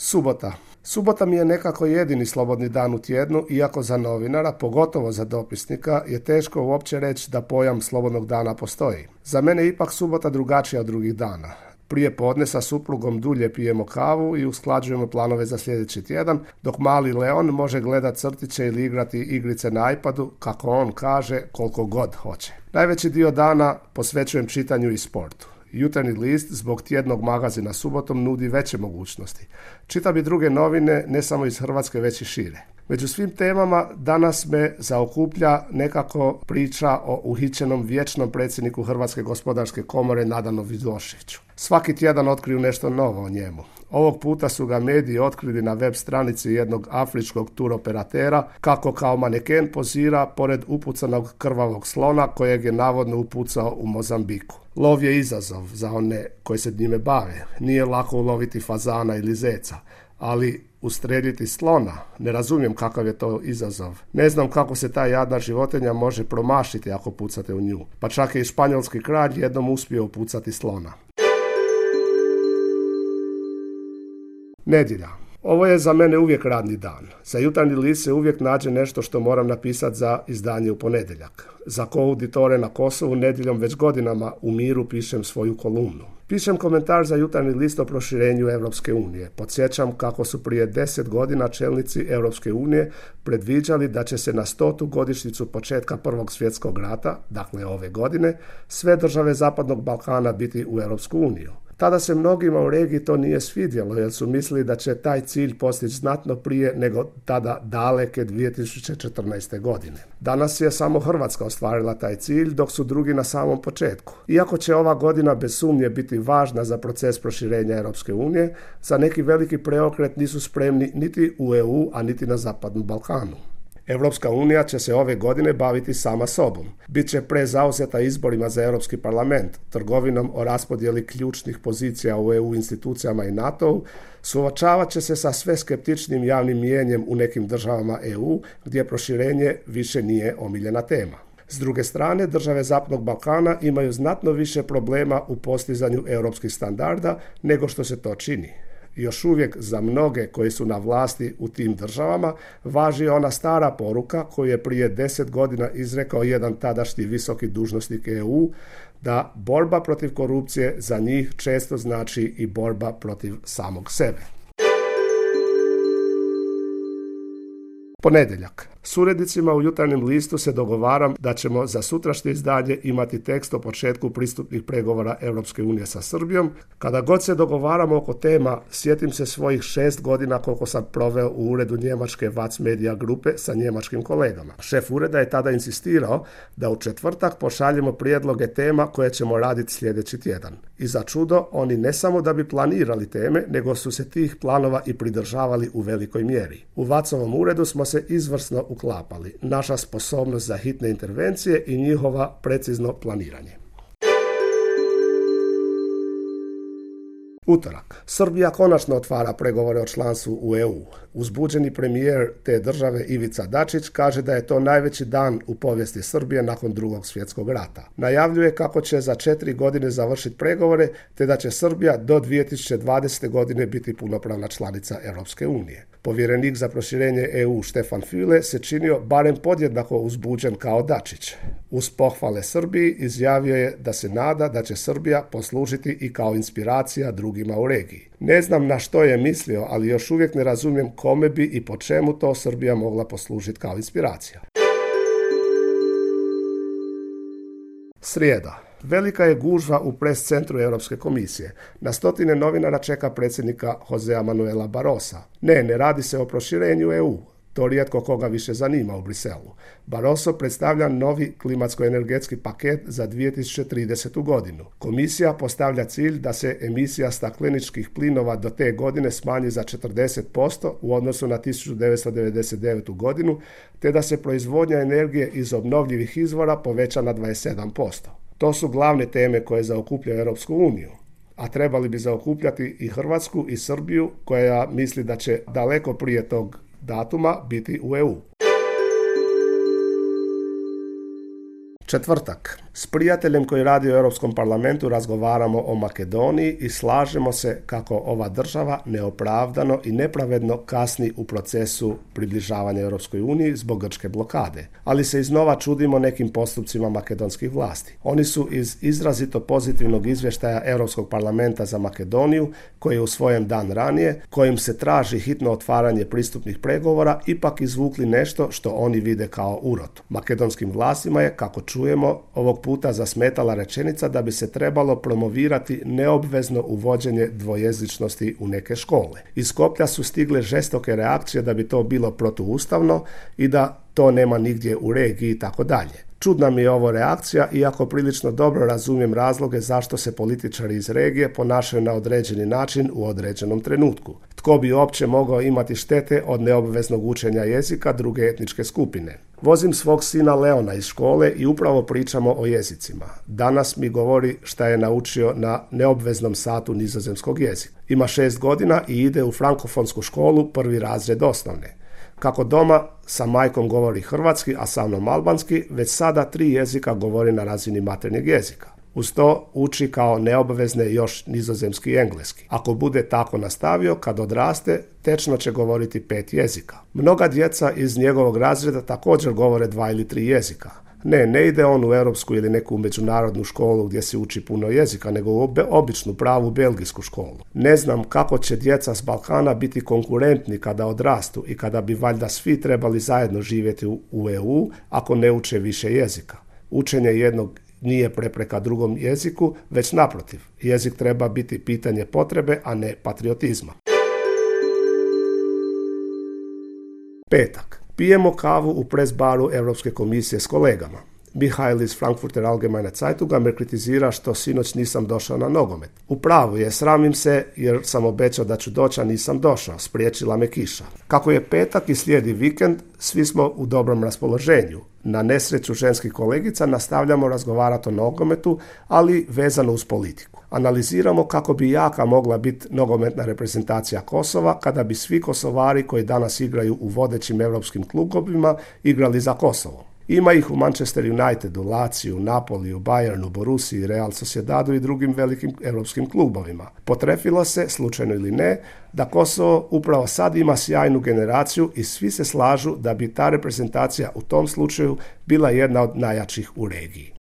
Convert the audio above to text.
Subota. Subota mi je nekako jedini slobodni dan u tjednu, iako za novinara, pogotovo za dopisnika, je teško uopće reći da pojam slobodnog dana postoji. Za mene je ipak subota drugačija od drugih dana. Prije podne sa suprugom dulje pijemo kavu i usklađujemo planove za sljedeći tjedan, dok mali Leon može gledati crtiće ili igrati igrice na iPadu, kako on kaže, koliko god hoće. Najveći dio dana posvećujem čitanju i sportu. Jutarnji list zbog tjednog magazina subotom nudi veće mogućnosti. Čitam i druge novine, ne samo iz Hrvatske, već i šire. Među svim temama danas me zaokuplja nekako priča o uhićenom vječnom predsjedniku Hrvatske gospodarske komore Nadanu Vidoševiću. Svaki tjedan otkriju nešto novo o njemu. Ovog puta su ga mediji otkrili na web stranici jednog afričkog turoperatera kako kao maneken pozira pored upucanog krvavog slona kojeg je navodno upucao u Mozambiku. Lov je izazov za one koji se njime bave. Nije lako uloviti fazana ili zeca, ali ustreljiti slona, ne razumijem kakav je to izazov. Ne znam kako se ta jadna životinja može promašiti ako pucate u nju. Pa čak je i španjolski kralj jednom uspio upucati slona. Nedjelja. Ovo je za mene uvijek radni dan. Za jutarnji list se uvijek nađe nešto što moram napisati za izdanje u ponedjeljak. Za Koauditore na Kosovu nedjeljom već godinama u miru pišem svoju kolumnu. Pišem komentar za jutarnji list o proširenju Europske unije. Podsjećam kako su prije 10 godina čelnici Europske unije predviđali da će se na 100. godišnjicu početka Prvog svjetskog rata, dakle ove godine, sve države Zapadnog Balkana biti u Europsku uniju. Tada se mnogima u regiji to nije svidjelo jer su mislili da će taj cilj postići znatno prije nego tada daleke 2014. godine. Danas je samo Hrvatska ostvarila taj cilj dok su drugi na samom početku. Iako će ova godina bez sumnje biti važna za proces proširenja Europske unije, za neki veliki preokret nisu spremni niti u EU, a niti na Zapadnom Balkanu. Europska unija će se ove godine baviti sama sobom. Biće prezauzeta izborima za Europski parlament, trgovinom o raspodjeli ključnih pozicija u EU institucijama i NATO-u, suočavat će se sa sve skeptičnim javnim mijenjem u nekim državama EU, gdje proširenje više nije omiljena tema. S druge strane, države Zapadnog Balkana imaju znatno više problema u postizanju europskih standarda nego što se to čini. Još uvijek za mnoge koji su na vlasti u tim državama važi ona stara poruka koju je prije 10 godina izrekao jedan tadašnji visoki dužnosnik EU, da borba protiv korupcije za njih često znači i borba protiv samog sebe. Ponedjeljak. S urednicima u jutarnjem listu se dogovaram da ćemo za sutrašnje izdanje imati tekst o početku pristupnih pregovora Europske unije sa Srbijom. Kada god se dogovaramo oko tema, sjetim se svojih 6 godina koliko sam proveo u uredu njemačke Watz Media grupe sa njemačkim kolegama. Šef ureda je tada insistirao da u četvrtak pošaljemo prijedloge tema koje ćemo raditi sljedeći tjedan. I za čudo, oni ne samo da bi planirali teme, nego su se tih planova i pridržavali u velikoj mjeri. U Watzovom uredu smo se izvrsno uklapali. Naša sposobnost za hitne intervencije i njihova precizno planiranje. Utorak. Srbija konačno otvara pregovore o članstvu u EU. Uzbuđeni premijer te države Ivica Dačić kaže da je to najveći dan u povijesti Srbije nakon Drugog svjetskog rata. Najavljuje kako će za 4 godine završiti pregovore te da će Srbija do 2020. godine biti punopravna članica Europske unije. Povjerenik za proširenje EU Štefan Füle se činio barem podjednako uzbuđen kao Dačić. Uz pohvale Srbiji izjavio je da se nada da će Srbija poslužiti i kao inspiracija drugima u regiji. Ne znam na što je mislio, ali još uvijek ne razumijem kome bi i po čemu to Srbija mogla poslužiti kao inspiracija. Srijeda. Velika je gužva u pres centru Europske komisije. Na stotine novinara čeka predsjednika Josea Manuela Barrosa. Ne radi se o proširenju EU. To rijetko koga više zanima u Briselu. Barroso predstavlja novi klimatsko-energetski paket za 2030. godinu. Komisija postavlja cilj da se emisija stakleničkih plinova do te godine smanji za 40% u odnosu na 1999. godinu, te da se proizvodnja energije iz obnovljivih izvora poveća na 27%. To su glavne teme koje zaokupljaju Europsku uniju, a trebali bi zaokupljati i Hrvatsku i Srbiju, koja misli da će daleko prije tog datuma biti u EU. Četvrtak. S prijateljem koji radi u Europskom parlamentu razgovaramo o Makedoniji i slažemo se kako ova država neopravdano i nepravedno kasni u procesu približavanja Europskoj uniji zbog grčke blokade. Ali se iznova čudimo nekim postupcima makedonskih vlasti. Oni su iz izrazito pozitivnog izvještaja Europskog parlamenta za Makedoniju, koji je usvojen dan ranije, kojim se traži hitno otvaranje pristupnih pregovora, ipak izvukli nešto što oni vide kao urotu. Makedonskim vlastima je, kako čujemo, ovog puta zasmetala rečenica da bi se trebalo promovirati neobvezno uvođenje dvojezičnosti u neke škole. Iz Skoplja su stigle žestoke reakcije da bi to bilo protuustavno i da to nema nigdje u regiji i tako dalje. Čudna mi je ovo reakcija, iako prilično dobro razumijem razloge zašto se političari iz regije ponašaju na određeni način u određenom trenutku. Tko bi uopće mogao imati štete od neobveznog učenja jezika druge etničke skupine? Vozim svog sina Leona iz škole i upravo pričamo o jezicima. Danas mi govori šta je naučio na neobveznom satu nizozemskog jezika. Ima 6 godina i ide u frankofonsku školu, 1. razred osnovne. Kako doma sa majkom govori hrvatski, a sa mnom albanski, već sada 3 jezika govori na razini maternjeg jezika. Uz to uči kao neobvezne još nizozemski i engleski. Ako bude tako nastavio, kad odraste, tečno će govoriti 5 jezika. Mnoga djeca iz njegovog razreda također govore 2 ili 3 jezika. Ne ide on u europsku ili neku međunarodnu školu gdje se uči puno jezika, nego u običnu pravu belgijsku školu. Ne znam kako će djeca s Balkana biti konkurentni kada odrastu i kada bi valjda svi trebali zajedno živjeti u EU ako ne uče više jezika. Učenje jednog nije prepreka drugom jeziku, već naprotiv. Jezik treba biti pitanje potrebe, a ne patriotizma. Petak. Pijemo kavu u pres baru Europske komisije s kolegama. Mihael iz Frankfurter Allgemeine Zeitunga me kritizira što sinoć nisam došao na nogomet. U pravu je, sramim se jer sam obećao da ću doći, a nisam došao, spriječila me kiša. Kako je petak i slijedi vikend, svi smo u dobrom raspoloženju. Na nesreću ženskih kolegica nastavljamo razgovarati o nogometu, ali vezano uz politiku. Analiziramo kako bi jaka mogla biti nogometna reprezentacija Kosova kada bi svi Kosovari koji danas igraju u vodećim europskim klubovima igrali za Kosovo. Ima ih u Manchester Unitedu, Laciju, Napoliju, Bayernu, Borussiji, Real Sociedadu i drugim velikim europskim klubovima. Potrefilo se, slučajno ili ne, da Kosovo upravo sad ima sjajnu generaciju i svi se slažu da bi ta reprezentacija u tom slučaju bila jedna od najjačih u regiji.